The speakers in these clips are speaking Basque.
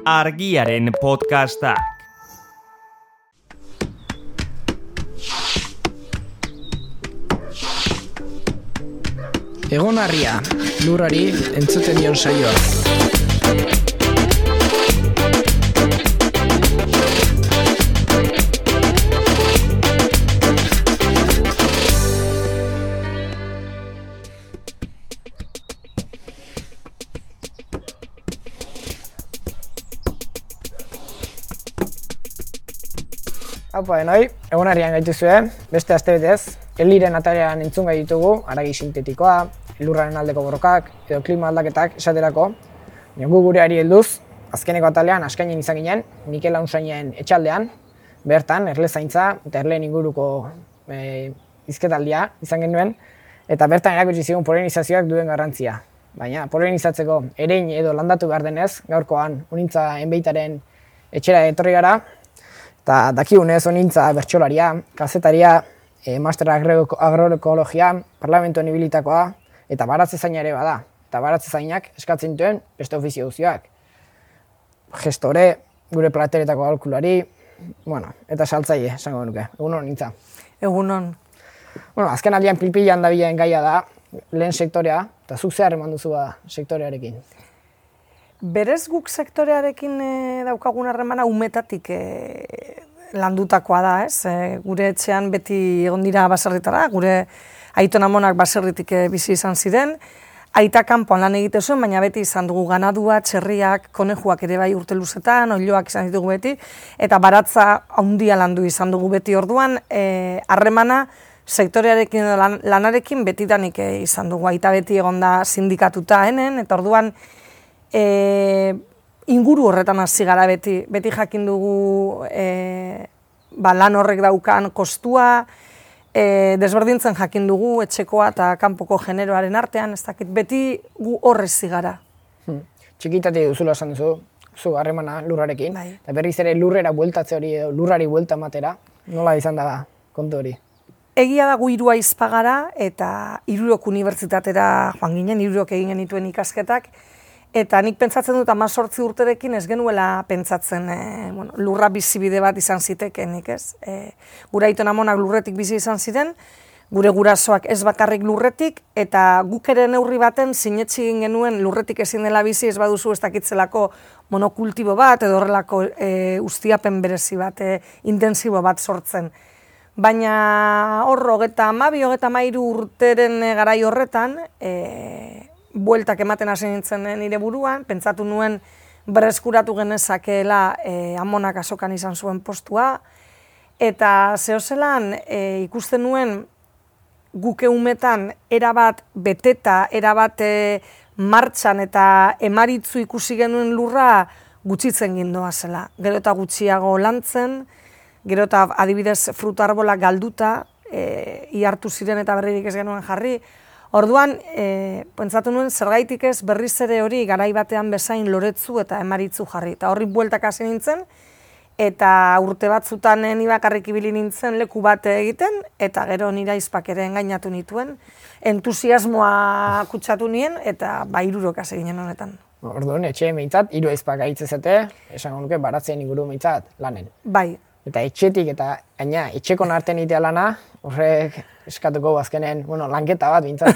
Argiaren podcastak. Egon Argia, lurrari entzuten dion saioa. Haupa denoi, Egon Argian gaituzue, beste astebetez, Eliren atalean entzun gai ditugu, haragi sintetikoa, lurraren aldeko borrokak edo klima aldaketak esaterako. Gu gureari helduz, azkeneko atalean askainen izan ginen, Mikel Launsainen etxaldean, bertan erlezaintza eta erleen inguruko hizketaldia izan genuen, eta bertan erakutsi zigun polinizazioak duen garrantzia. Baina polinizatzeko erein edo landatu behar denez, gaurkoan Unintza Enbeitaren etxera etorri gara, eta dakigunez Unintza bertsolaria, kazetaria, master agroekologia, parlamentoan ibilitakoa, eta baratzezaina ere bada. Eta baratzezainak eskatzen duen beste ofizio guztiak. Gestore, gure plateretako aholkulari, eta saltzaile, esango nuke. Egunon, Unintza. Egunon. Azken aldian pilpilan dabilen gaia da, lehen sektorea, eta zuk zehar eman duzu sektorearekin. Berez guk sektorearekin daukagun harremana umetatik landutakoa da, ez? Gure etxean beti egon dira baserritara, gure aiton amonak baserritik bizi izan ziren, aita kanpoan lan egite zuen, baina beti izan dugu ganadua, txerriak, konejuak ere bai urte luzetan, oiloak izan ditugu beti, eta baratza handia landu izan dugu beti orduan, harremana sektorearekin lanarekin betidanik izan dugu, aita beti egon da sindikatuta henen, eta orduan inguru horretan hasi gara beti jakin dugu lan horrek daukan kostua, desberdintzen jakin dugu etxekoa eta kanpoko generoaren artean, ez dakit, beti gu horrezi gara. Txikitatik duzula esan duzu, zu harremana lurrarekin, Bai. eta berriz ere lurrera bueltatze hori edo lurrari buelta ematera, nola izan da kontu hori? Egia da gu hiru ahizpa gara eta Hirurok unibertsitatera joan ginen, Hirurok egin genituen ikasketak, eta nik pentsatzen dut 18 urterekin ez genuela pentsatzen lurra bizibide bat izan zitekenik, ez? Gure aiton amonak lurretik bizi izan ziren, gure gurasoak ez bakarrik lurretik, eta guk ere neurri baten sinetsi egin genuen lurretik ezin dela bizi, ez baduzu ez dakitzelako monokultibo bat, edo horrelako ustiapen berezi bat, intensibo bat sortzen. Baina hor, 22-23 urteren garai horretan, bueltak ematen hasi nintzen nire buruan, pentsatu nuen berreskuratu genezakeela amonak azokan izan zuen postua, eta zehozelan ikusten nuen guke umetan erabat beteta, erabat martxan eta emaritzu ikusi genuen lurra gutxitzen gindoa zela. Gero eta gutxiago lantzen, gero eta adibidez fruta arbolak galduta, ihartu ziren eta berririk ez genuen jarri. Orduan, pentsatu nuen zergaitik ez berriz ere hori garai batean bezain loretzu eta emaritzu jarri. Eta horri bueltak hasi nintzen, eta urte batzutan ni bakarrik ibili nintzen leku bat egiten, eta gero nire ahizpak ere engainatu nituen, entusiasmoa kutsatu nien, eta Hirurok hasi ginen honetan. Orduan, etxe meintzat, hiru ahizpak gaitzezete, esango nuke baratzen inguru meintzat lanen. Bai. Eta etxetik eta etxekon artean itea lana, horrek eskatuko azkenen, lanketa bat bintzat.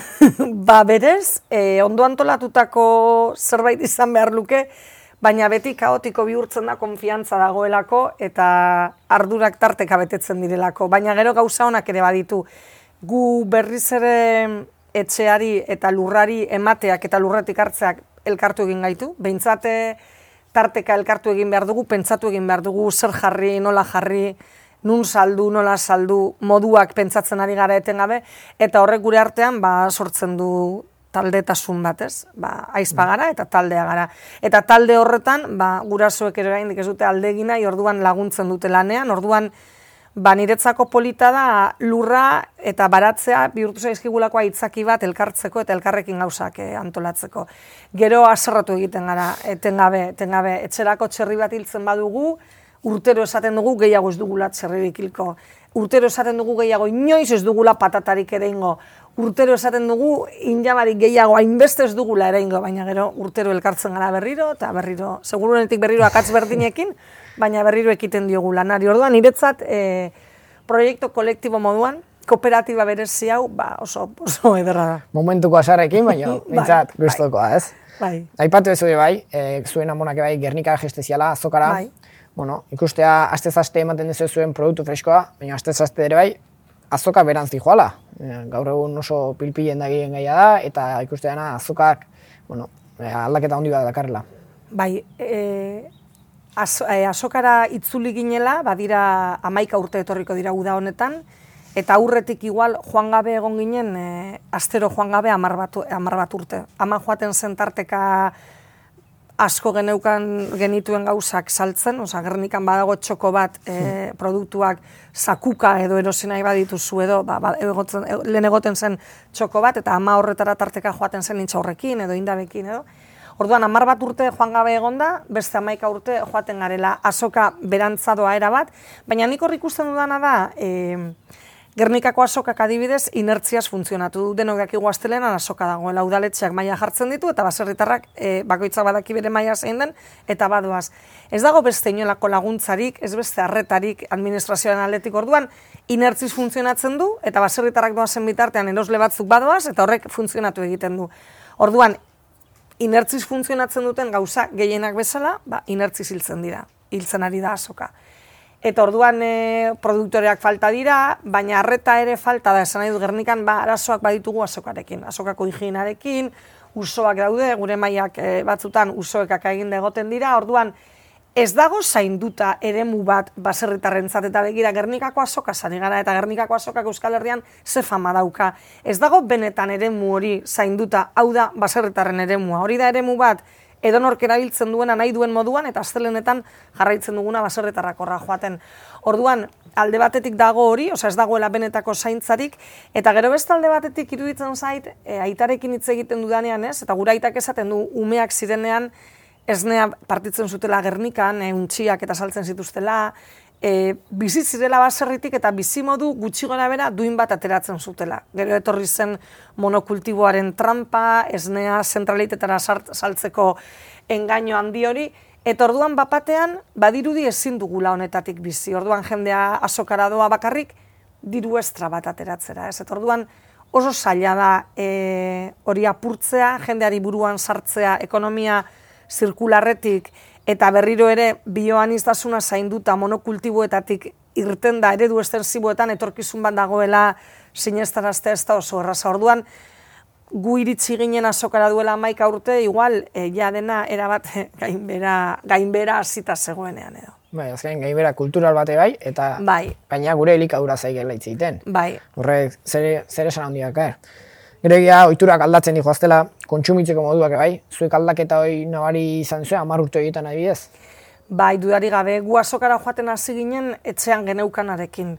Berez, ondo antolatutako zerbait izan behar luke, baina beti kaotiko bihurtzen da konfiantza dagoelako eta ardurak tarteka betetzen direlako. Baina gero gauza honak ere baditu. Gu berriz ere etxeari eta lurrari emateak eta lurretik hartzeak elkartu egin gaitu. Behintzate tarteka elkartu egin behar dugu, pentsatu egin behar dugu, zer jarri, nola jarri, nun saldu, nola saldu, moduak pentsatzen ari gara etengabe, eta horrek gure artean sortzen du taldetasun bat, ez? Ahizpa gara eta taldea gara. Eta talde horretan, gurasoek ere oraindik ez dute alde egin nahi, orduan laguntzen dute lanean, orduan niretzako polita da lurra eta baratzea bihurtu zaizkigulako aitzaki bat elkartzeko eta elkarrekin gauzak antolatzeko. Gero haserretu egiten gara, etengabe, etxerako txerri bat hiltzen badugu, urtero esaten dugu gehiago ez dugula txerririk hilko. Urtero esaten dugu gehiago inoiz ez dugula patatarik ere ingo. urtero esaten dugu, injamarik gehiago hainbeste ez dugula ere ingo, baina gero urtero elkartzen gara berriro, eta berriro, segurunetik berriro akatz berdinekin, baina berriro ekiten diogu lanari. Orduan, niretzat, proiektu kolektibo moduan, kooperatiba berezi hau, oso ederra da. Momentuko asarrekin, baina mintzat gustokoa, ez? Bai. Aipatu ez bai, zuen amonak bai, Gernika gesteziala, azokara. Bai. Bueno, ikustea astez-aste ematen dezu zuen produktu freskoa, baina astez-aste ere bai, azoka berantzi joala. Gaur egun oso pilpilen dagien gaia da, eta ikusteana azokak, bueno, aldaketa handi bat dakarrela. Bai, azokara itzuli ginela, badira 11 urte etorriko dira uda honetan, eta aurretik igual joan gabe egon ginen, astero joan gabe 10 bat urte. Ama joaten zen tarteka asko genituen gauzak saltzen, Gernikan badago txoko bat produktuak sakuka edo erosi nahi badituzu edo, lehen egoten zen txoko bat, eta ama horretara tarteka joaten zen intxaurrekin edo indabekin edo. Orduan, 10 bat urte joan gabe egonda, beste 11 urte joaten garela azoka berantzadoa erabat, baina nik hor ikusten dudana da, Gernikako azokak adibidez inertziaz funtzionatu du. Denok dakigu astelehenan azoka dagoela, udaletxeak maila jartzen ditu eta baserritarrak bakoitzak badaki bere maila zein den eta badoaz. Ez dago beste inolako laguntzarik, ez beste arretarik administrazioaren aldetik. Orduan inertziz funtzionatzen du eta baserritarrak doazen bitartean erosle batzuk badoaz eta horrek funtzionatu egiten du. Orduan inertziz funtzionatzen duten gauza gehienak bezala, inertziz hiltzen ari da azoka. Eta orduan produktoreak falta dira, baina arreta ere falta da, esan nahi du Gernikan arazoak baditugu azokarekin. Azokako higienarekin, usoak daude, gure mailak batzutan usoekak egin egoten dira, orduan ez dago zainduta eremu bat baserritarrentzat eta begira Gernikako azoka zari gara, eta Gernikako azokak Euskal Herrian ze fama dauka. Ez dago benetan eremu hori zainduta, hau da baserritarren eremua. Hori da eremu bat, edonork erabiltzen duena nahi duen moduan, eta astelehenetan jarraitzen duguna baserritarrak horra joaten. Orduan, alde batetik dago hori, ez dagoela benetako zaintzarik, eta gero beste alde batetik iruditzen zait, aitarekin hitz egiten dudanean ez, eta gure aitak esaten du umeak zirenean, esnea partitzen zutela Gernikan, untxiak eta saltzen zituztela, bizi zirela baserritik eta bizimodu gutxi gora bera duin bat ateratzen zutela. Gero etorri zen monokultiboaren trampa, esnea zentralitetara saltzeko engaino handi hori, eta orduan bapatean badirudi ezin dugula honetatik bizi. Orduan jendea azokara doa bakarrik diru estra bat ateratzera. Eta orduan oso zaila da hori apurtzea, jendeari buruan sartzea, ekonomia zirkularretik, eta berriro ere bioaniztasuna zainduta monokultiboetatik irten da eredu estensiboetan etorkizun bat dagoela sinestaraztea ez da oso erraza. Orduan, gu iritsi ginen azokara duela 11 urte, igual, ja dena erabat gainbera hasita zegoenean edo. Bai, azken gainbera kultural bate bai, eta baina gure elikadura zaigela hitz egiten. Bai. Horrek, zer esan handiak, Gero egia, ohiturak aldatzen dihoaztela, kontsumitzeko moduak bai, zuek aldaketa hori nabari izan zuen, 10 urte egiten adibidez? Bai, dudari gabe, gu azokara joaten hasi ginen etxean geneukanarekin.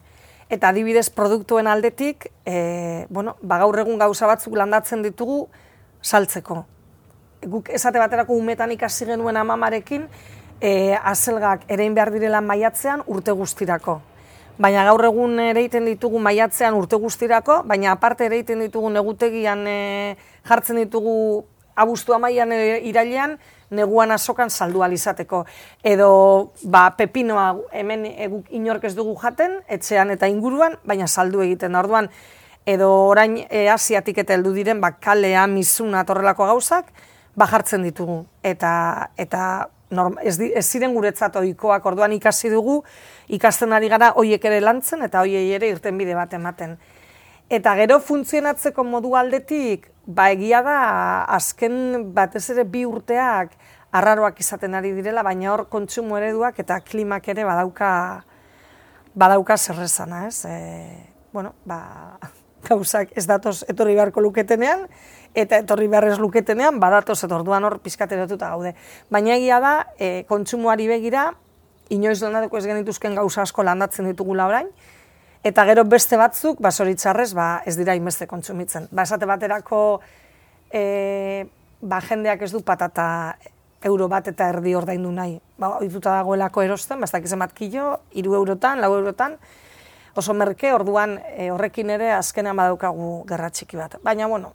Eta adibidez produktuen aldetik, gaur egun gauza batzuk landatzen ditugu saltzeko. Guk esate baterako umetan ikasi genuen amamarekin, azelgak erein behar direla maiatzean urte guztirako. Baina gaur egun ereiten ditugu maiatzean urte guztirako, baina aparte ereiten ditugu negutegian jartzen ditugu abuztua mailan irailean, neguan azokan saldu alizateko. Edo pepinoa hemen inork ez dugu jaten, etxean eta inguruan, baina saldu egiten da. Orduan, edo orain asiatik eta heldu diren, kalea, mizuna, torrelako gauzak, jartzen ditugu. Eta ez ziren guretzat ohikoak, orduan ikasi dugu, ikasten ari gara hoiek ere lantzen eta hoiei ere irtenbide bat ematen. Eta gero funtzionatzeko modu aldetik, egia da azken batez ere 2 urteak arraroak izaten ari direla, baina hor kontsumo ereduak eta klimak ere badauka zerrezana, ez? Gauzak ez datoz etorri beharko luketenean, eta etorri beharrez luketenean, badatoz eta orduan hor pizkateratuta gaude. Baina egia da, kontsumoari begira, inoiz landatuko ez genituzken gauza asko landatzen ditugula orain, eta gero beste batzuk, zoritxarrez, ez dira inbeste kontsumitzen. Esate baterako, jendeak ez du patata euro bat eta erdi ordaindu nahi. Ohituta dagoelako erosten, ez dakiz emat kilo, 3 eurotan, 4 eurotan, oso merke, orduan horrekin ere azkenean badaukagu gerra txiki bat. Baina, bueno,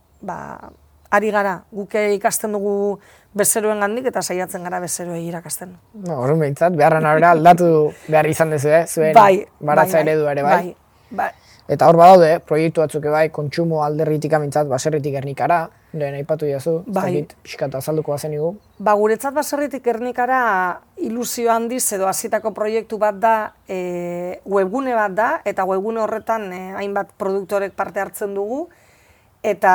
ari gara, guke ikasten dugu bezeroen gandik eta saiatzen gara bezeroei irakasten. Horren behintzat, beharren arabera aldatu behar izan dezu, zuen baratza eredua ere, bai. Eta hor badaude, proiektu batzuk bai, kontsumo alderritik amintzat, baserritik Gernikara, lehen aipatu jazu, pixkatu azalduko bazen igu. Guretzat baserritik Gernikara ilusio handiz edo hasitako proiektu bat da, webgune bat da, eta webgune horretan hainbat produktorek parte hartzen dugu, eta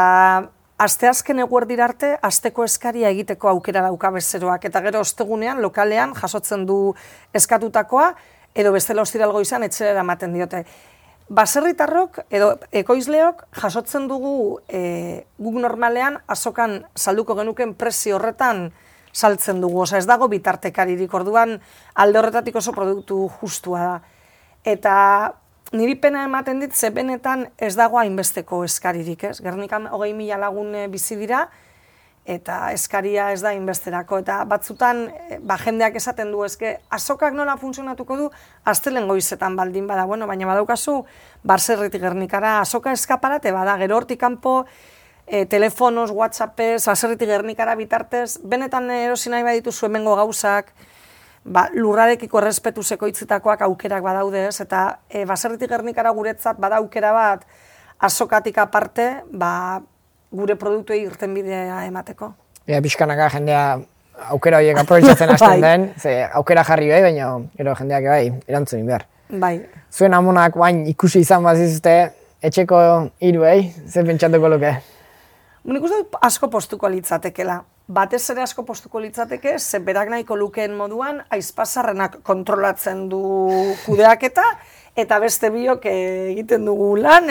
asteazken eguerdira arte, asteko eskaria egiteko aukera dauka bezeroak, eta gero ostegunean, lokalean, jasotzen du eskatutakoa, edo bestela ostiralgo izan, etxera eramaten diote. Baserritarrok edo ekoizleok jasotzen dugu guk normalean azokan salduko genuken prezio horretan saltzen dugu. Ez dago bitartekaririk, orduan alde horretatik oso produktu justua da. Eta niri pena ematen dit, ze benetan ez dago hainbesteko eskaririk, ez? Gernikan 20.000 lagun bizi dira, eta eskaria ez da inbesterako, eta batzutan jendeak esaten du, eske azokak nola funtzionatuko du, astelen goizetan baldin bada, bueno, baina badaukazu, Baserritik Gernikara azoka eskaparate bada, gero hortik kanpo, telefonos, whatsappez, Baserritik Gernikara bitartez, benetan erosi nahi badituzu hemengo gauzak, lurrarekiko errespetuzeko hitzitakoak aukerak badaude, ez, eta Baserritik Gernikara guretzat bada aukera bat azokatik aparte, gure produktuei irtenbidea emateko. Pixkanaka jendea aukera horiek aprobetxatzen hasten den, ze aukera jarri baina gero jendeak erantzunin behar. Bai. Zuen amonak bain ikusi izan bazizute, etxeko hiruei, ze pentsatuko luke? Nik uste dut asko postuko litzatekela. Batez ere asko postuko litzateke, ze berak nahiko lukeen moduan, aizpazarrenak kontrolatzen du kudeaketa, eta beste biok egiten dugu lan,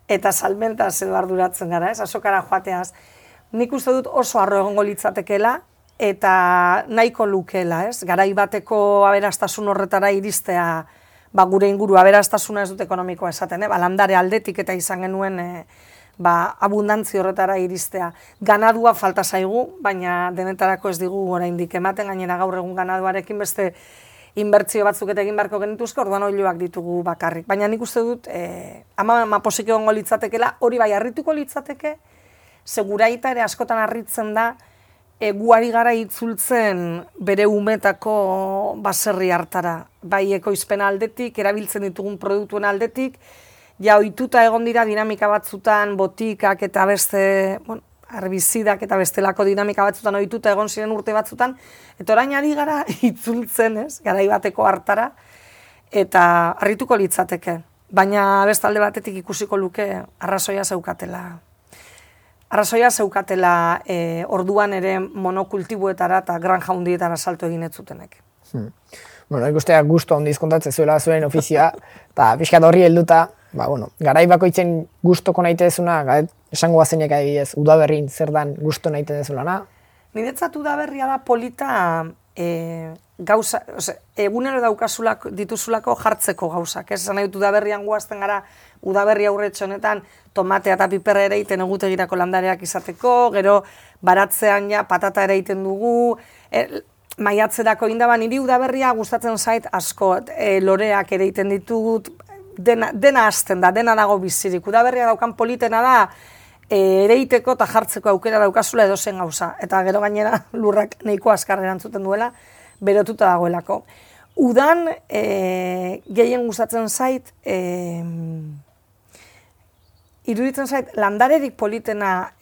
eta salmentaz edo arduratzen gara, ez, azokara joateaz. Nik uste dut oso harro egongo litzatekeela, eta nahiko lukeela, ez, garai bateko aberastasun horretara iristea, gure inguru aberastasuna ez dut ekonomikoa esaten, landare aldetik eta izan genuen abundantzia horretara iristea. Ganadua falta zaigu, baina denetarako ez digu oraindik ematen, gainera gaur egun ganaduarekin beste inbertsio batzuk eta egin beharko genituzke, orduan oiloak ditugu bakarrik. Baina nik uste dut, ama posik egongo litzatekela, hori bai harrituko litzateke, seguraita ere askotan harritzen da, guari gara itzultzen bere umetako baserri hartara. Bai ekoizpen aldetik, erabiltzen ditugun produktuen aldetik, ja ohituta egon dira dinamika batzutan, botikak eta beste, herbizidak eta bestelako dinamika batzutan ohituta egon ziren urte batzutan, eta orain ari gara itzultzen, ez, garai bateko hartara, eta harrituko litzateke. Baina bestalde batetik ikusiko luke arrazoia zeukatela. Arrazoia zeukatela orduan ere monokultibuetara eta granja hundietara salto egin ez zutenek. Ikusteak gustu handiz kontatzen zuela zuen ofizioa, eta pixkat horri helduta, garai bakoitzen gustoko naitezuna, esango bazenek adibidez, udaberrin zer dan gustu naite dezulana? Niretzat udaberria da polita gauza, egunero dituzulako jartzeko gauzak. Ez nahi dut udaberrian guazten gara, udaberri aurretxo honetan, tomatea eta piperra ere iten egutegirako landareak izateko, gero baratzean ja patata ere iten dugu, maiatzerako indaban, niri udaberria gustatzen zait asko, loreak ere iten ditut, dena hasten da, dena dago bizirik. Udaberria daukan politena da, ereiteko eta jartzeko aukera daukazula edozen gauza. Eta gero gainera lurrak nahiko azkar erantzuten duela, berotuta dagoelako. Udan gehien gustatzen zait, iruditzen zait, landarerik politena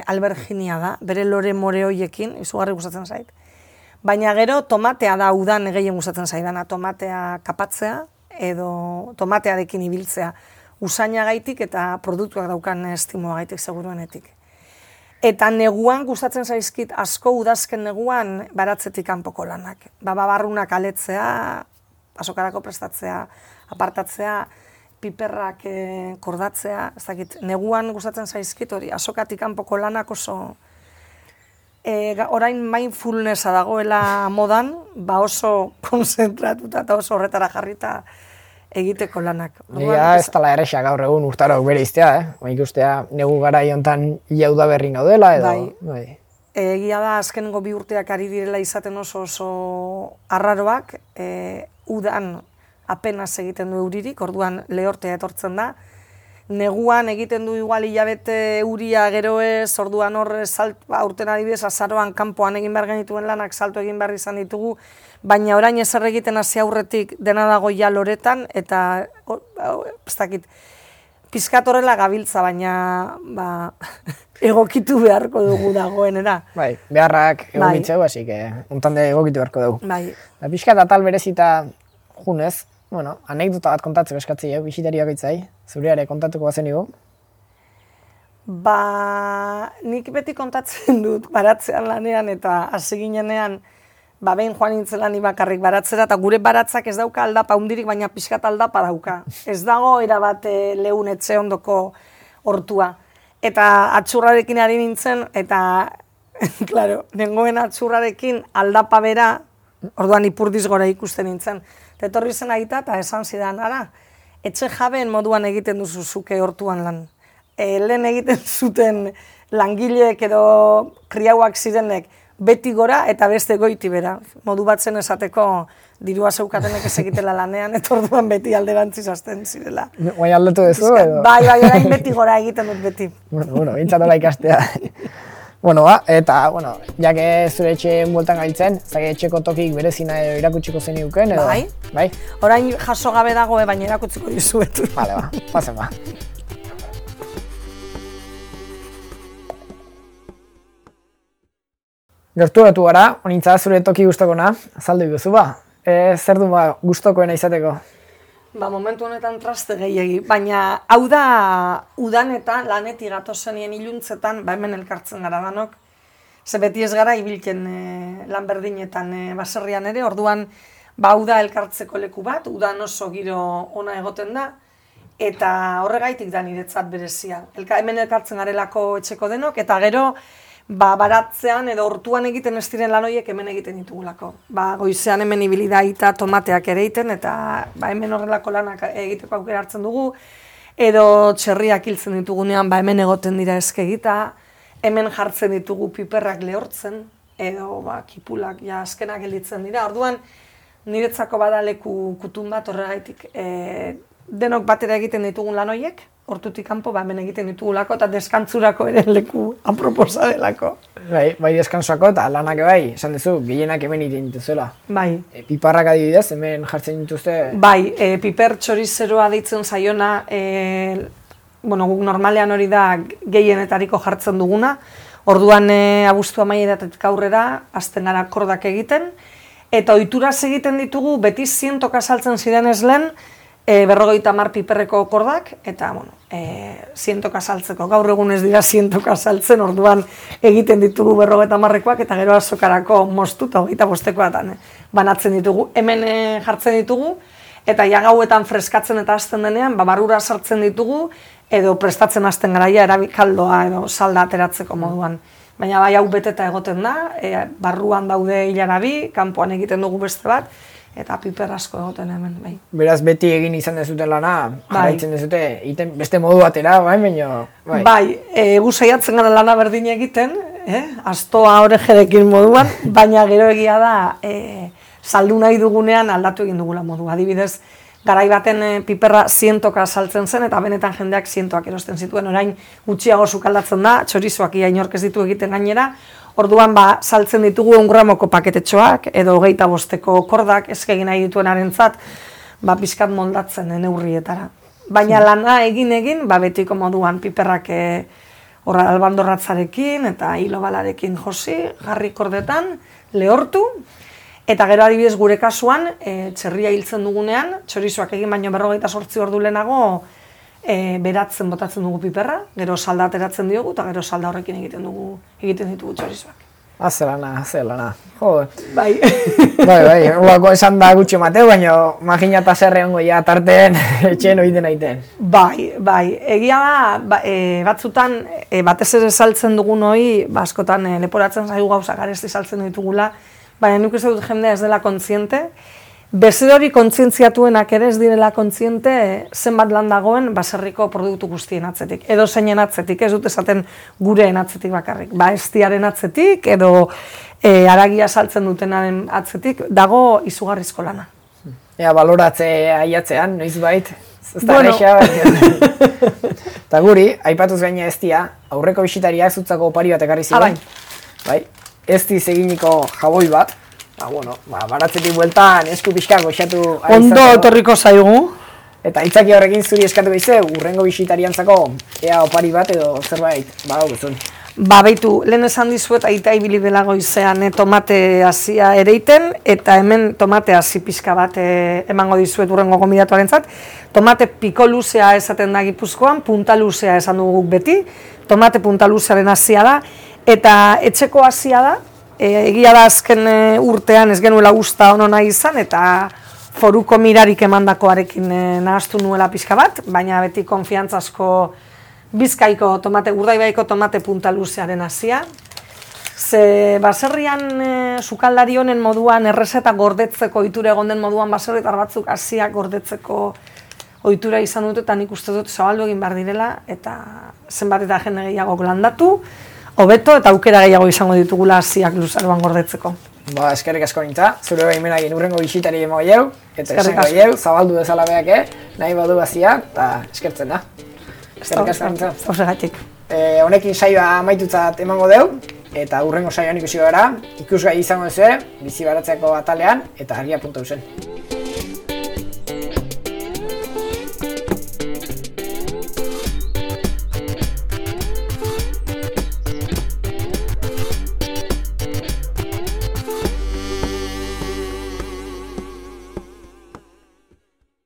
alberginia da, bere lore more hoiekin, izugarri gustatzen zait. Baina gero tomatea da udan gehien gustatzen zaidana, tomatea kapatzea, edo tomatearekin ibiltzea usainagaitik eta produktuak daukan estimoagaitik seguruenetik. Eta neguan gustatzen zaizkit asko udazken neguan baratzetik kanpoko lanak. Barrunak aletzea, azokarako prestatzea, apartatzea, piperrak kordatzea, ez dakit, neguan gustatzen zaizkit hori, azokatik kanpoko lanak oso orain mindfulnessa dagoela modan, oso konzentratuta eta oso horretara jarrita egiteko lanak. Ez tala errexak gaur egun urtaroak bere iztea, ikustea negu gara iontan ia udaberri gaudela edo. Egia da azkenengo 2 urteak ari direla izaten oso arraroak, udan apenas egiten du euririk, orduan lehortea etortzen da. Neguan egiten du igual hilabete euria gero ez, orduan hor aurten adibidez azaroan kanpoan egin behar genituen lanak salto egin behar izan ditugu, baina orain ezer egiten hasi aurretik dena dago ja loretan, eta ez dakit, pizkat horrela gabiltza, baina egokitu beharko dugu dagoenera. Bai, beharrak egokitzeu, hasi que untan de egokitu beharko dugu. Bai. Pixkat atal berezita junez, bueno, anekdota bat kontatzeko eskatzei, bisitariak itzai, zureare kontatuko bazen igo? Nik beti kontatzen dut baratzean lanean eta hasi ginenean, behin joan nintzela ni bakarrik baratzera, eta gure baratzak ez dauka aldapa hundirik, baina pixkat aldapa dauka. Ez dago erabat lehun etxe ondoko hortua. Eta atxurrarekin ari nintzen, eta, klaro, nengoen atxurrarekin aldapa bera, orduan ipurdiz gora ikusten nintzen. Etorri zen aita eta esan zidan, ara, etxe jabeen moduan egiten duzu zuke hortuan lan. Lehen egiten zuten langileek edo kriauak zirenek beti gora eta beste goiti bera. Modu bat zen esateko dirua zeukatenek ez egitela lanean, eta orduan beti alderantziz hasten zirela. Bai aldatu duzu edo? Bai, orain beti gora egiten dut beti. Bueno, bintzatola ikastea. Bueno, eta, jake zure etxeen bueltan gaitzen, zage etxeko tokik berezina irakutsiko zen iuken, edo? Bai. Orain jaso gabe dago, baina erakutsiko dizuet. Vale, pasen ba. Gerturatu gara, honintza zure toki gustokona, azaldu iguzu ba. Zer du gustokoena izateko? Momentu honetan traste gehiegi, baina hau da udanetan, lanetik gatozenien iluntzetan, hemen elkartzen gara danok. Ze beti ez gara ibilken lan berdinetan baserrian ere, orduan hau da elkartzeko leku bat, udan oso giro ona egoten da, eta horregaitik da niretzat berezia. Hemen elkartzen garelako etxeko denok, eta gero baratzean edo hortuan egiten ez diren lan horiek hemen egiten ditugulako. Goizean hemen ibili da aita tomateak ere egiten, eta hemen horrelako lanak egiteko aukera hartzen dugu, edo txerriak hiltzen ditugunean hemen egoten dira eskegita, hemen jartzen ditugu piperrak lehortzen, edo kipulak azkenak gelditzen dira. Orduan, niretzako bada leku kutun bat horregaitik denok batera egiten ditugun lan horiek, hortutik kanpo hemen egiten ditugulako eta deskantzurako ere leku aproposa delako. Bai deskantzurako eta lanak bai, esan duzu, gehienak hemen egiten dituzuela. Bai. Piparrak adibidez, hemen jartzen dituzte? Bai, piper txorizeroa deitzen zaiona, guk normalean hori da gehienetariko jartzen duguna, orduan abuztu amaieratetik aurrera, azten gara kordak egiten, eta ohituraz egiten ditugu, beti 100 saltzen ziren ez lehen, 50 piperreko kordak, eta, 100 saltzeko. Gaur egun ez dira 100 saltzen, orduan egiten ditugu 50rekoak, eta gero azokarako moztu eta 25koatan banatzen ditugu. Hemen jartzen ditugu, eta gauetan freskatzen eta hasten denean, barrura sartzen ditugu, edo prestatzen hasten garaia erabikaldoa edo salda ateratzeko moduan. Baina hau beteta egoten da, barruan daude hilarabi, kanpoan egiten dugu beste bat, eta piper asko egoten hemen, bai. Beraz, beti egin izan dezuten lana, jarraitzen dezute, beste modu batera, baino, bai. Bai, gu saiatzen gara lana berdin egiten, astoa orejerekin moduan, baina gero egia da, saldu nahi dugunean aldatu egin dugula modu. Adibidez, garai baten piperra 100 saltzen zen, eta benetan jendeak 100ak erosten zituen, orain gutxiago sukaldatzen da, txorizoak ia inork ez ditu egiten gainera, orduan saltzen ditugu 1 gramoko paketetxoak, edo 25ko kordak, ezkegin nahi dituenarentzat, pixkat moldatzen neurrietara. Baina lana egin, betiko moduan piperrak albandorratzarekin eta hilobalarekin josi, jarri kordetan, lehortu, eta gero adibidez gure kasuan, txerria hiltzen dugunean, txorizoak egin baino 48 ordu lehenago, beratzen botatzen dugu piperra, gero salda ateratzen diogu, eta gero salda horrekin egiten ditugu txorizoak. Zelana. Jo. Bai. Bai, horako esan da gutxi mateu, baina maginata zerre hongo ja tarteen etxeen oiten aiten. Bai. Egia da, batzutan, batez ere saltzen dugun hori, askotan leporatzen zaigu gauza garesti saltzen ditugula, baina nik uste dut jendea ez dela kontziente, bezero hori kontzientziatuenak ere ez direla kontziente zenbat lan dagoen baserriko produktu guztien atzetik. Edo zeinen atzetik, ez dut esaten gureen atzetik bakarrik. Eztiaren atzetik edo haragia saltzen dutenaren atzetik dago izugarrizko lana. Ea, baloratze aiatzean, noizbait. Ez da Bueno. Eta guri, aipatuz gaina eztia, aurreko bisitariak zutzako opari bat ekarri ziren. Bai, eztiz eginiko jaboi bat. Baratzetik bueltan esku pixka goxatu. Ondo etorriko zaigu. Eta itzaki horrekin zuri eskatu behize, urrengo bisitariantzako ea opari bat edo zerbait badaukizun. Beitu, lehen esan dizuet aita ibili dela goizean tomate hasia ereiten, eta hemen tomate hasi pixka bat emango dizuet urrengo gonbidatuarentzat. Tomate piko luzea esaten da Gipuzkoan, punta luzea esan dugu beti, tomate punta luzearen hasia da, eta etxeko hasia da, egia da azken urtean ez genuela usta ono nahi izan, eta foruko mirarik emandakoarekin nahaztu nuela pixka bat, baina beti konfiantzazko Bizkaiko tomate, Urdaibaiko tomate punta luzearen hasia. Ze baserrian sukaldari honen moduan errezeta gordetzeko ohitura egon den moduan baserritar batzuk hasiak gordetzeko ohitura izan dute, eta nik uste dut zabaldu egin behar direla, eta zenbat eta jende gehiago landatu, hobeto eta aukera gehiago izango ditugula hasiak luzaroan gordetzeko. Eskerrik asko nintza, zure baimenagin urrengo bisitari emo gehiago, eta esango gehiago, zabaldu dezala beak, nahi badu bazia, eta eskertzen da. Eskerrik asko nintza. Horregatik. Honekin saioa amaitutzat emango deu, eta urrengo saioan ikusi gara, ikusgai izango duzue, bizi baratzeako atalean, eta argia.eusen.